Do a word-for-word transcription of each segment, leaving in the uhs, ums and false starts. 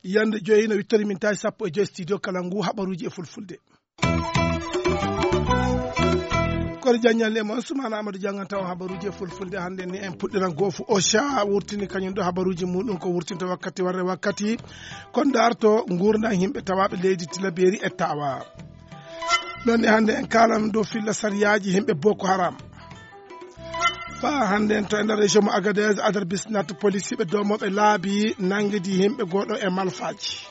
Yande joyi no wittori min tawi sappo e joyi studio kala ngu haɓaruuji e fulfulde. Kono jaññal e mon sumana amadou janganta o habaruji e fulfulde hannde ni en puɗɗiran goofu ocha wurtini kañum ɗo habaruji muɗum ko wurtinta wakkati warre wakkati. Kon darto ngurdan yimɓe tawaɓe leydi tilaberi e tawa noon ni hannde en kalan dow filla sariyaji yimɓe boko haram. Fa hannde en to e nder région mo agadez adar bisnat policiɓe domoɓe laabi nanngidi yimɓe goɗo e malfaji.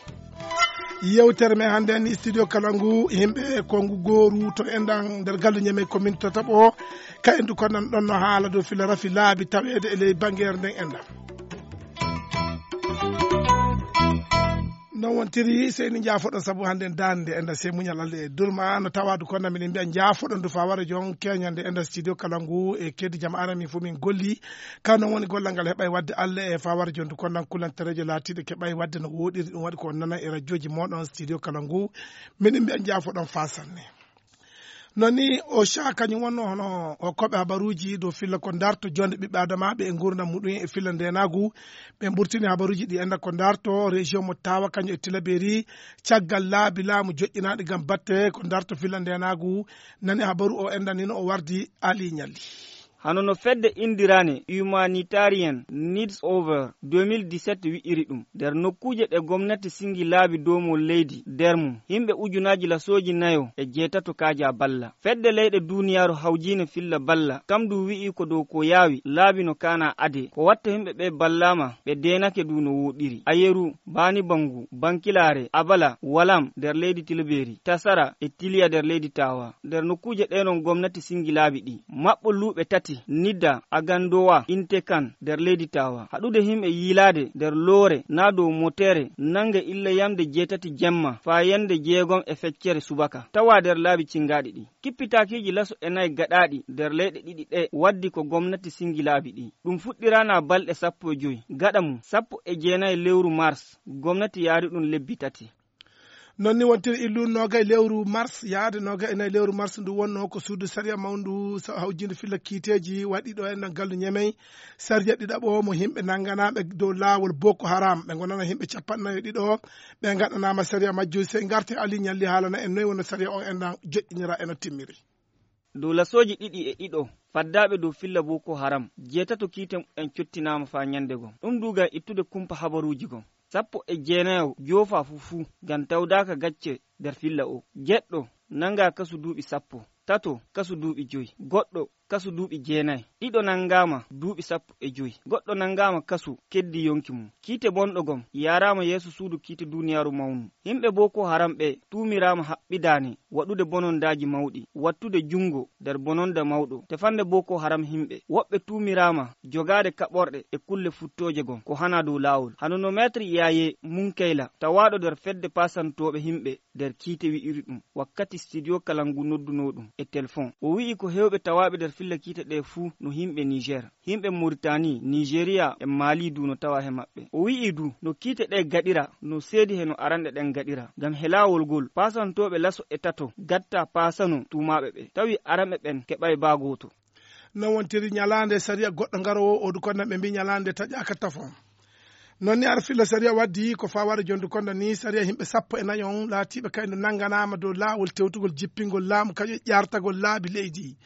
Yewtere men hannde en studio kala ngu yimɓe ko ngu gooru to enɗan nder gallu ñame commune to taɓo ka endu konnan ɗon no haala dow fila rafi laabi taweede e ley bangeere nden enɗan. Non wontiri seyni jaafoɗon sabu hannde en daande enɗan sey muñal allah e durma no tawadu konnan miɗen mbiya jaafoɗon du fawara jon keñande enɗan studio kala ngu e keddi jam arami fof min golli. Ka non woni gollal ngal heɓay wadde allah e fawara jon du konnan kulanterejo laatiɗo keɓay wadde no woɗiri ɗum waɗi ko nana e radioji moɗon studio kala ngu. Miɗen mbiya jaafoɗon fasanne. Non ni o ca kañum wonno hono o koɓe habaruji dow filla ko darto jonde ɓiɓɓe adamaɓe e gurdam muɗum e filla ndenagu. Ɓe mburtini habaruji ɗi enda ko darto région mo tawa kañum e tilaberi caggal laabi laamu joƴƴinaɗi gam batte ko darto filla ndenagu. Nani habaru o endanino o wardi ali ñalli. Hano no fedde indirane humanitarian needs over deux mille dix-sept wi'iri ɗum nder nokkuuje ɗe gomnati singi laabi doomol leydi nder mum yimɓe ujunaji lasooji nayo e jeetato kaaja balla. Fedde leyɗe duniyaaru hawjiine filla balla kam du wi'i ko dow ko yaawi laabi no kaana ade ko watta yimɓe ɓe ballaama ɓe deenake du no wooɗiri ayeru baani bangu bankilaare abala walam nder leydi tilbeeri tasara e tiliya nder leydi taawa. Nder nokkuuje ɗe non gomnati singi laabi ɗi maɓɓo luuɓe tati nidda agandowa intekan nder leydi taawa haɗude yimɓe yiilaade nder loore naa dow motere nannga illa yamde jeetati jemma faa yande jeegom e feccere subaka tawa nder laabi cingaaɗi ɗi. Kippitaakiiji laso e nayi gaɗaaɗi nder leyɗe ɗiɗi ɗe waddi ko gomnati singi laabi ɗi. Ɗum fuɗɗiraana balɗe sappo e joy gaɗa mum sappo e jeenayi lewru mars gomnati yaari ɗum lebbi tati. Non ni wontiri illu noga e lewru mars yaade noga e nayi lewru mars ndu wonno ko suudu sariya mawndu hawjinde filla kiiteji waɗi ɗo en gallu ñemey. Sariya ɗiɗaɓo mo yimɓe nanganaɓe dow lawol boko haram ɓe gonana yimɓe capannayo ɗiɗo. Ɓe gaɗanama sariya majju sey garte ali ñalli haalana en noyi wonno sariya o enɗan joƴƴinira eno timmiri. Dow lasooji ɗiɗi e ɗiɗo faddaaɓe dow filla boko haram jeetato kiite mumen cottinaama faa ñannde gom ɗum du ngam ittude kumpa habaruuji gom. Sappo e jeenayo joofaa fuu fuu ngam tawdaaka gacce nder filla oo. Jeɗɗo nanngaa kasu duuɓi sappo, tato kasu duuɓi joy, goɗɗo kasu duuɓi jeenay, ɗiɗo nanngaama duuɓi sappo e joy, goɗɗo nanngaama kasu keddii yonki mum. Kiite bonɗo gom yaaraama yeeso suudu kiite duuniyaaru mawnu. Yimɓe boko haram ɓee tuumiraama haɓɓidaani waɗude bonondaaji mawɗi, wattude junngo nder bononnda mawɗo, tefande boko haram yimɓe. Woɓɓe tuumiraama jogaade kaɓorɗe e kulle futtooje gom ko hanaa dow laawol. Hano no Maître Yaaye Munkayla tawaaɗo nder fedde paasantooɓe yimɓe nder kiite wi'iri ɗum wakkati studio kalangu noddunoo ɗum e telefon. O wi'i ko heewɓe tawaaɓe nder filla kiite ɗee fuu no yimɓe Niger. Yimɓe Moritani, Nijeriya e Mali du no tawa he maɓɓe. O wi'i du no kiite ɗee gaɗira no seedi he no aranɗe ɗen gaɗira. Ngam he laawol ngol paasantooɓe laso e tato gatta paasano tuumaaɓe ɓe. Tawi aranɓe ɓen keɓay baa gooto. No wontiri ñalaande sariya goɗɗo ngarowo o du konnan ɓe mbi ñalaande taƴaaka tafon. Non ni ar filla sariya waddi ko faware jondu konda ni sariya yimɓe sappo e nayon laatiɓe kaydo nanganama dow laawol tewtugol jippingol laamu kañum ƴartagol laabi leydi.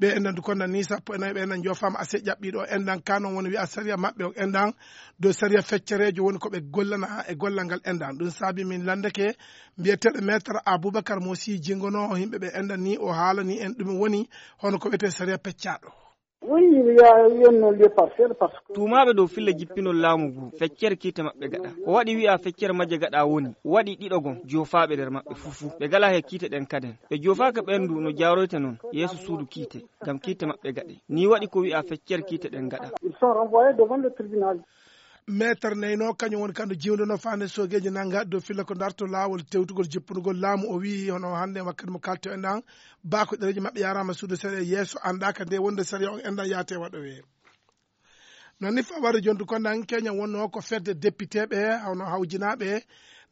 Ɓe enɗan du konda ni sappo e nayo ɓe enɗan jofama ase ƴaɓɓiɗo enɗan ka non woni wiya sariya maɓɓe on enɗan dow sariya feccerejo woni ko ɓe gollana e gollal ngal enɗan ɗum saabi min landeke. Mbiyeteɗo maître aboubacar mo si jingono yimɓe ɓe enɗan ni o haalani en ɗum woni hono ko wiyete sariya peccaɗo. Wi wiya wiyanno lieu partiel par ce que tuumaaɓe dow filla jippinol laamu ngu feccere kiite maɓɓe gaɗa. Ko waɗi wi'a feccere majje gaɗa woni waɗi ɗiɗo gom joofaaɓe nder maɓɓe fuu fuu ɓe gala he kiite ɗen kaden. Ɓe joofaaka ɓen du no jaaroyta non yeeso suudu kiite ngam kiite maɓɓe gaɗe. Ni waɗi ko wi'a feccere kiite ɗen gaɗa. Ils sont renvoyés devant le tribunal. Maître neyno kañum woni kandu jiwdono fande sogeji nanga dow filla ko darto lawol tewtugol jippunugol laamu o wi hono hande wakkati mo kalto en ɗan. Bako ɗereji maɓɓe yarama suudu sariya yeeso anɗaka nde wonde sariya on enɗan yaate waɗowe. Non ni faware jondu ko nan keña wonno ko fedde député ɓe hawno hawjinaɓe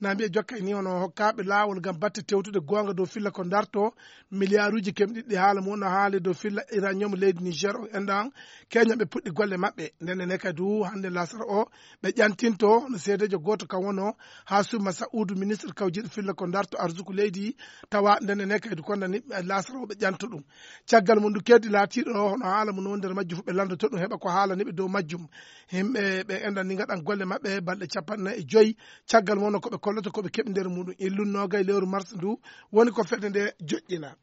Na mbiya jokkay ni hono hokkaaɓe laawol ngam batte tewtude goonga dow filla ko ndarto miliyaaruuji kemɗiɗi ɗi haala mum no haali dow filla iranium leydi Niger o enɗan keña ɓe puɗɗi golle maɓɓe. Ndenne ne kadi du hannde lasara o ɓe ƴantinto no seedeejo gooto kam wonoo haa suma sa'udu ministre kawjiiɗo filla ko ndarto arsuku leydi tawa ndenne ne kadi du kondani lasara o ɓe ƴanto ɗum. Caggal mum du keddi laatiiɗo hono haala mum no nder majjum fof ɓe lanndoto ɗum heɓa ko haalani ɓe dow majjum. Himɓe ɓe enɗan ni ngaɗan golle maɓɓe balɗe capanɗe nayi e joyi. Caggal mum no ko ɓe kolloto ko ɓe keɓi nder muɗum illun noogay lewru mars ndu woni ko fedde nde joƴƴina.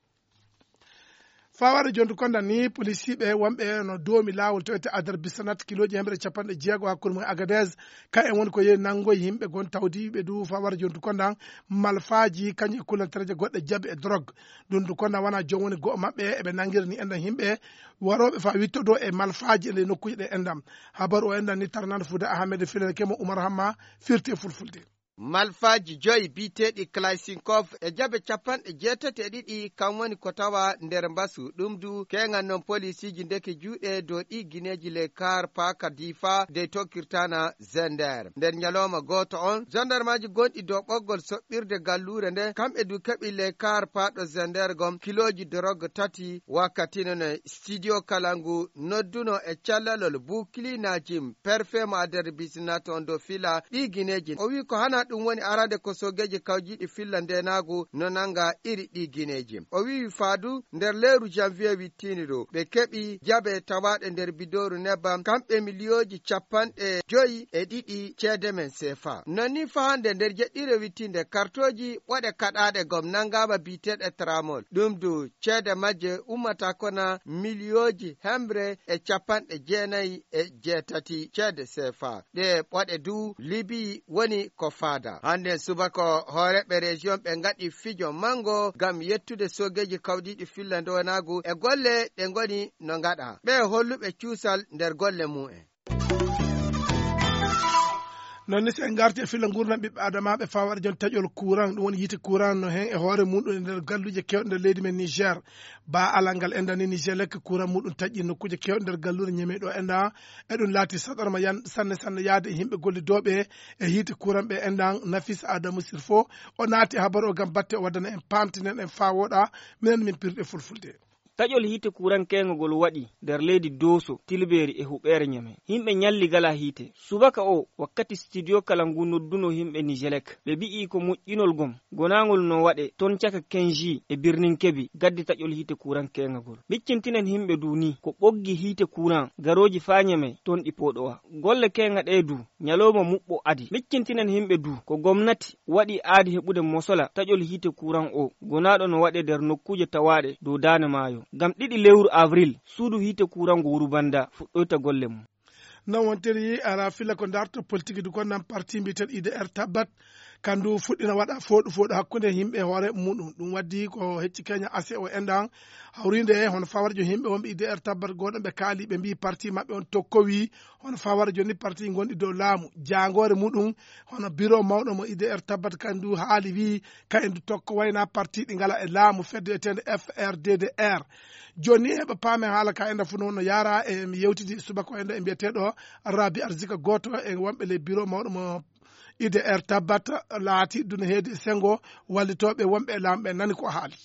Fawade jontu kondan ni polisiiɓe wonɓe no doomi laawol tewete adar bisanat kilooji hemre capanɗe jeego hakkunde mum e agades. Ka en woni ko yehi nanngoy yimɓe gon tawdiiɓe du fawade jontu kondan malfaaji kañum e kulantareeje goɗɗe jabi e drogue. Ɗum du kondan wona joom woni go'o maɓɓe eɓe nanngirani enɗan yimɓe warooɓe faa wittodo e malfaaji e ley nokkuuje ɗe enɗan. Habaru o enɗan ni tarnande fuuda ahamed filana kemo umar hamma firti e fulfulde. Malfaaji joyi biyeteeɗi kalasinkov e jabe capanɗe jeetati e ɗiɗi kam woni ko tawa nder mbasu ɗum du keeŋan noon polisiiji ndeke juuɗe dow ɗi gineeji ley kaar paaka diifa dey tokkirtana zender nder ñalooma gooto on zandarmaaji gonɗi dow ɓoggol soɓɓirde galluure nde kamɓe du keɓi ley kaar paaɗo zender gom kilooji dorog tati wakkati noon e studio kala ngu nodduno e callalol bukili najim perfe mo aderbisinaton dow fila ɗi gineeji o wi ko hana ɗum woni arande ko sogeeji kawjiiɗi filla ndenaagu no nannga iri ɗi gineeji o wi faadu nder leeru janvier wittiini ɗo ɓe keɓi jabe tawaaɗe nder bidooru nebbam kamɓe miliyooji capanɗe joyi e ɗiɗi ceede men seefa non ni fahande nder jeɗɗire wittiinde kartooji ɓoɗe kaɗaaɗe gom nanngaama biyeteeɗe tramol ɗum du ceede majje ummata kona miliyooji hemre e capanɗe jeenayi e jeetati ceede seefa ɗe ɓoɗe du libi woni ko faada hannden subaka hooreɓe région ɓe ngaɗi fijo manngo ngam yettude sogeeji kawdiiɗi filla ndowanaagu e golle ɗe ngoni no ngaɗa ɓe holluɓe cuusal nder golle mum en. Non ni so en ngarti e filla nguurndam ɓiɓɓe adamaaɓe fawade jon taƴol courant ɗum woni yiite courant no heen e hoore muɗum e nder galluuje keewɗe nder leydi men niger. Ba alal ngal enɗan ni niger lekka courant muɗum taƴƴi nokkuuje keewɗe nder galluure ñeme ɗo enɗan. Eɗum laati saɗorma yan sanne sanne yahde e yimɓe gollidooɓe e yiite courant ɓe enɗan nafis adamu sirfo o naati e habaru o ngam batte o waddana en paamtinen en faa wooɗa. Minen min pirɗe fulfulde. Taƴol hiite kuurankeeŋagol waɗi nder leydi dooso tilbeeri e huɓeere ñame. Yimɓe ñalli gala hiite. Subaka o wakkati studio kala ngu nodduno yimɓe nijelek ɓe mbi'i ko moƴƴinol gom gonaangol no waɗe toon caka kenji e birnin kebi gaddi taƴol hiite kuurankeeŋagol. Miccintinen yimɓe du ni ko ɓoggi hiite kuuran garooji faa ñame toon ɗi pooɗowa. Golle keeŋa ɗee du ñalooma muɓɓo adi miccintinen yimɓe du ko gomnati waɗi aadi heɓude mosola taƴol hiite kuuran o gonaaɗo no waɗe nder nokkuuje tawaaɗe dow daande maayo ngam ɗiɗi lewru avril suudu hiite kuuran ngo wuru bannda fuɗɗoyta golle mum. Non wontiri ara filla ko ndarto politique du konnan parti mbiyeten idr tabbat kandu fuɗɗina waɗa fooɗu fooɗu hakkunde yimɓe hoore muɗum ɗum waddi ko hecci keña ase o enɗan hawrinde hono fawarjo yimɓe wonɓe idr tabbat goɗon ɓe kaali ɓe mbi parti maɓɓe on tokkowi hono fawara joni parti gonɗi dow laamu jaangoore muɗum hono biro mawɗo mo idr tabbat kandu haali wi ka en du tokko wayna parti ɗi ngala e laamu fedde etende frddr. Joni heɓa paame haala ka enda fu noon no yaara e mi yewtidi subaka o enda e mbiyeteɗo rabi arzika goto e wonɓe ley biro mawɗo mo idr tabbat laati duna heedi e sengo wallitoɓe wonɓe e laamu ɓe nani ko haali.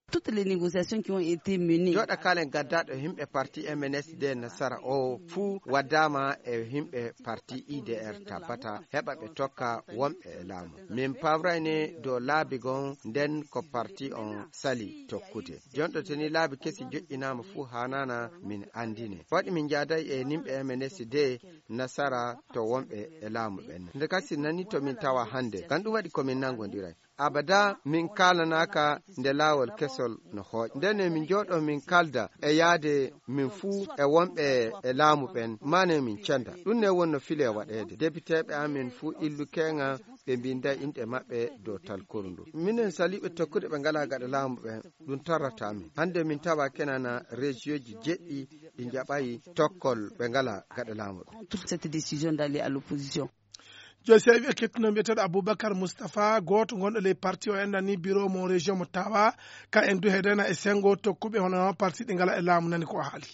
Toutes les négociations qui ont été menées. Joɗa kalen gaddaɗo himɓe parti mnsd nasara o fuu waddama e himɓe parti idr tabbata heɓa ɓe tokka wonɓe e laamu. Min pawrayne dow laabi gon nden ko parti on sali tokkude. Jonɗo teni laabi kesi joƴƴinama fuu hanana min andine waɗi min jaday e nimɓe mnsd nasara to wonɓe e laamu ɓen nde kasi nani to min tawa hande kan ɗum waɗi komin nangodiray. Abada min kaalanaka nde laawol kesol no hooƴ ndene min jooɗo min kalda e yaade min fuu e wonɓe e laamu ɓen mane min cenda ɗum ne wonno file waɗeede depiteeɓe amin fuu illu keeŋa ɓe mbinda inɗe maɓɓe dow talkoru ndu minen saliiɓe tokkude ɓe ngala gaɗa laamu ɓen. Ɗum tarrata min hande min tawa kenana rejioji jeɗɗi ɗi jaɓayi tokkol ɓe ngala gaɗa laamu ɓen. Toute cette décision d'aller à l'opposition. Jooni si a wi e kettuno mbiyeteɗo aboubacar moustapha goto gonɗo ley parti o enɗan ni bureau mo région mo tawa ka en du hedena e sengo tokkuɓe hono parti ɗi ngala e laamu nani ko o haali.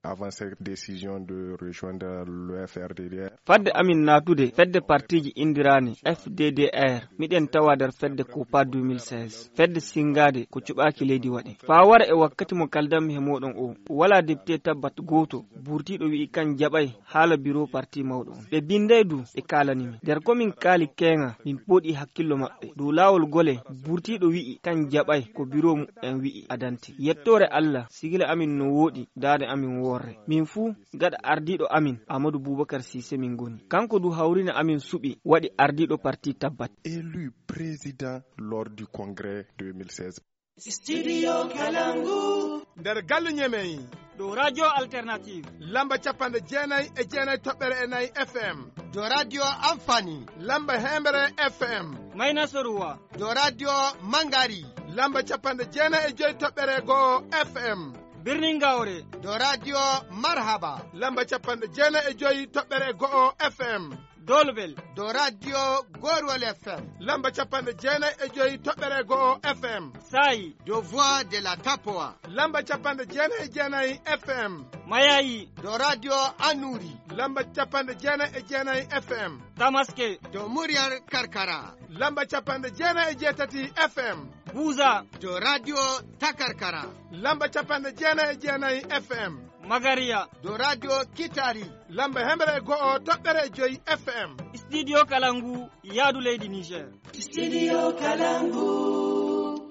Avant cette décision de rejoindre le F R D D R. Fadde amin naatude fedde partiiji inndiraani F D D R, miɗen tawa nder fedde Copa deux mille seize. Fedde sinngaade ko cuɓaaki leydi waɗi. Faa wara e wakkati mo kaldanmi he mooɗon o, walaa depite tabbat gooto burtiiɗo wi'i kan jaɓay haala biro parti mawɗo on. Ɓe binnday du, ɓe kaalani min. Nder ko min kaali keeŋa, min pooɗi hakkillo maɓɓe. Dow laawol gole, burtiiɗo wi'i kan jaɓay ko biro mu'en wi'i adante. Yettoore Allah, sigila amin no wooɗi, daade amin worre. Min fuu, gaɗa ardiiɗo amin, Amadou Boubacar Cissé min ngoni. Kanko du hawrina amin suɓi, waɗi ardiiɗo parti tabbat. Élu président lors du congrès deux mille seize. Studio Kalangu. Nder galle Ñemey. Ɗo Radio Alternative. Lamba capanɗe jeenayi e jeenayi toɓɓere e nayi F M. Ɗo Radio Amfani. Lamba hemre F M. Mayna Soruwa. Ɗo Radio Mangari. Lamba capanɗe jeenayi e joyi toɓɓere go'o F M. Birnin Gawre. Ɗo Radio Marhaba. Lamba capanɗe jeenayi e joyi toɓɓere go'o F M. Dolbel. Ɗo Radio Gorwal F M. Lamba capanɗe jeenayi e joyi toɓɓere go'o F M. Sayi. Ɗo Voix de la Tapoa. Lamba capanɗe jeenayi e jeenayi F M. Mayayi. Ɗo Radio Anuri. Lamba capanɗe jeenayi e jeenayi F M. Tamaske. Ɗo Muryar Karkara. Lamba capanɗe jeenayi e jeetati F M. Buza. Ɗo Radio Takarkara. Lamba capanɗe jeenayi e jeenayi F M. Magariya. Ɗo Radio Kitari. Lamba hemre e go'o toɓɓere e joyi F M. Studio Kalangu, yaadu leydi Niger. Studio Kalangu.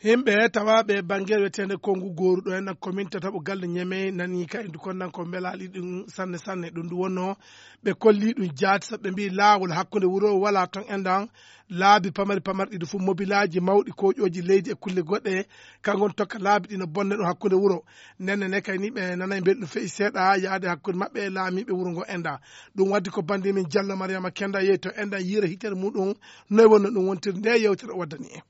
Yimɓe tawaaɓe bannge wiyeteende Konngu Gooru ɗo en commune tataɓo galle Ñemey nani kay ndu konnan ko mbelaali ɗum sanne sanne. Ɗum ndu wonno ɓe kolli ɗum jaati sabu ɓe mbii laawol hakkunde wuro wala ton endan laabi pamari pamari ɗiɗi fof mobilaaji mawɗi koƴooji leydi e kulle goɗɗe kanko on tokka laabi ɗi no bonna ɗum hakkunde wuro. Nenne ne kay ni ɓe nanay mbeli ɗum feƴi seeɗa yaade hakkunde maɓɓe e laamiiɓe wuro ngo endan. Ɗum waddi ko bannde min Jallo Mariama Kenda yehi to endan yiira hitere muɗum noy wonno ɗum wontiri nde yewtere o waddani en.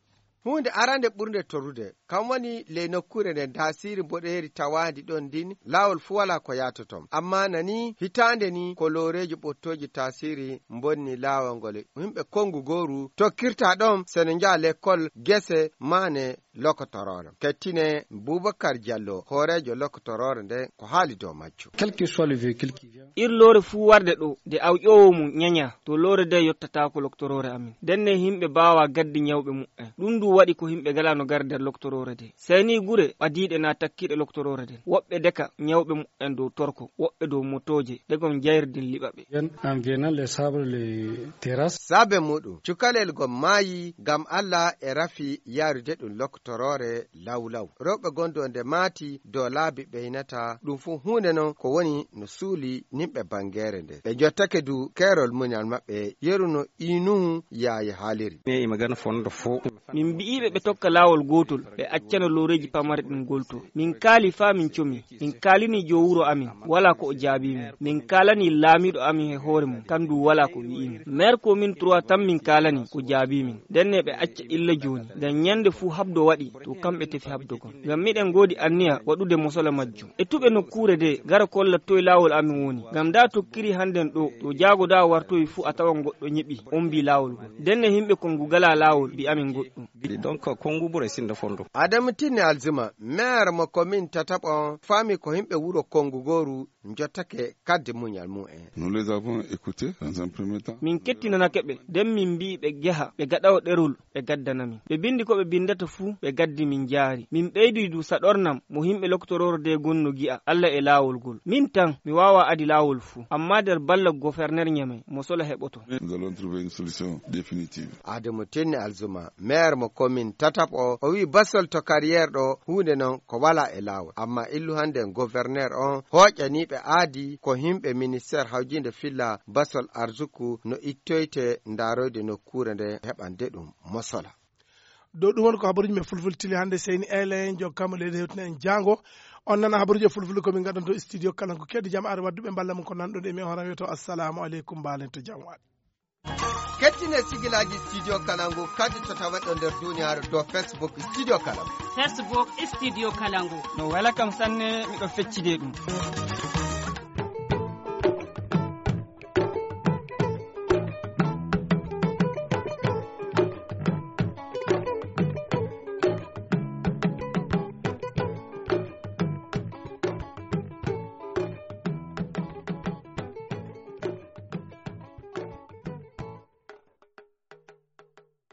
Huunde arande ɓurnde torrude, kam woni ley nokkuure nden taasiiri mboɗeeri tawaandi ɗon ndin, laawol fuu walaa ko yaatoton. Ammaa nani, hitaande ni ko looreeji ɓottooji taasiiri mbonni laawol ngol. Yimɓe konngu gooru tokkirta ɗon, sene njaha lekkol, gese, maane, lokotoroore. Kettine Bubakar Jallo, hooreejo lokotoroore nden, ko haali dow majjum. Quel que soit le véhicule qui vient. Ir loore fuu warde ɗo, de awƴoowo mum ñaña, to loore de yottataako loktoroore amin. Ndenne yimɓe mbaawaa gaddi ñawɓe muɓɓen. Ɗum du waɗi ko yimɓe ngalaa no gara nder loktoroore de. Sey ni gure ɓadiiɗe naa takkiiɗe loktoroore nden. Woɓɓe deka ñawɓe muɓɓen dow torko, woɓɓe dow motooje, ɗe gom jayrdin liɓa ɓe. Viennent en venant les sables, les terrasses. Saabe muɗum, cukalel gom maayi ngam Allah e rafi yarude ɗum loktoroore lawlaw. Rewɓe gonɗo nde maati dow laabi ɓeynata, ɗum fuu huunde non ko woni no suuli nimɓe bangeere nde. Ɓe jottake du keerol muñal maɓɓe, yeru no Inuhu Yaaye haaliri. Ne ima gana fondo fo. Min mbi'iiɓe ɓe tokka laawol gootol, ɓe accana looreeji pamare ɗin golto. Min kaali faa min comi. Min kaalini joo wuro amin, walaa ko o jaabii min. Min kaalani laamiiɗo amin he hoore mum, kandu walaa ko wi'i min. Meer ko min trois tan min kaalani ko jaabii min. Ndenne ɓe acca illa jooni, ngam ñande fuu habdo waɗi, to kamɓe tefi habdogol. Ngam miɗen ngoodi anniya waɗude mosola majjum. E tuɓe nokkuure de, gara kolla toy laawol amin woni. Ngam ndaa tokkiri hannden ɗo, to jaago ndaa wartoyi fuu a tawan goɗɗo ñeɓi, ombii laawol ngol. Ndenne yimɓe kon ngu galaa laawol, mbi amin goɗɗum. Donc, konngu ɓuray sinda fondo. Adamu Tinni Alzuma, meer mo komin tataɓo on, faami ko yimɓe wuro konngu gooru njottake kaddi muñal mumen. Nous les avons écoutés dans un premier temps. Min kettinanake ɓe, nden min mbi'i ɓe ngeha, ɓe gaɗawo ɗerol, ɓe gaddana min. Ɓe binndi ko ɓe binndata fuu, ɓe gaddi min njaari. Min ɓeydi du saɗornam mo yimɓe loktoroore de gonno gi'a, Alla e laawol ngol. Min tan, mi waawaa adi laawol fuu, ammaa nder balla goferner Ñamey, mo sola heɓoto. Nous allons trouver une solution définitive. Adamu Tinni Alzuma, meer mo komin tataɓo, o wi'i basol to carrière ɗo, huunde non ko walaa e laawol. Ammaa illu hannden goferner on, hooƴaniiɓe aadi ko yimɓe ministeer hawjiinde filla basol arsuku no ittoyte ndaaroyde nokkuure nde heɓande ɗum mosola. Dow ɗum woni ko habaruuji men fulfulde tili hannde, seyni Elen, jokkama leydi hewtina en jaango. On nana habaruuji e fulfulde ko min ngaddanto studio kala ko keddi jam are wadduɓe mballa mum ko nanɗon e mi on horan wiyoto assalamu aleykum, mbaalen to jam waɗi. Kettine sigilaaji studio Kalangu kadi to tawaɗo nder duniyaaru dow Facebook studio Kalangu. Facebook studio Kalangu. No wela kam sanne, miɗo feccide ɗum.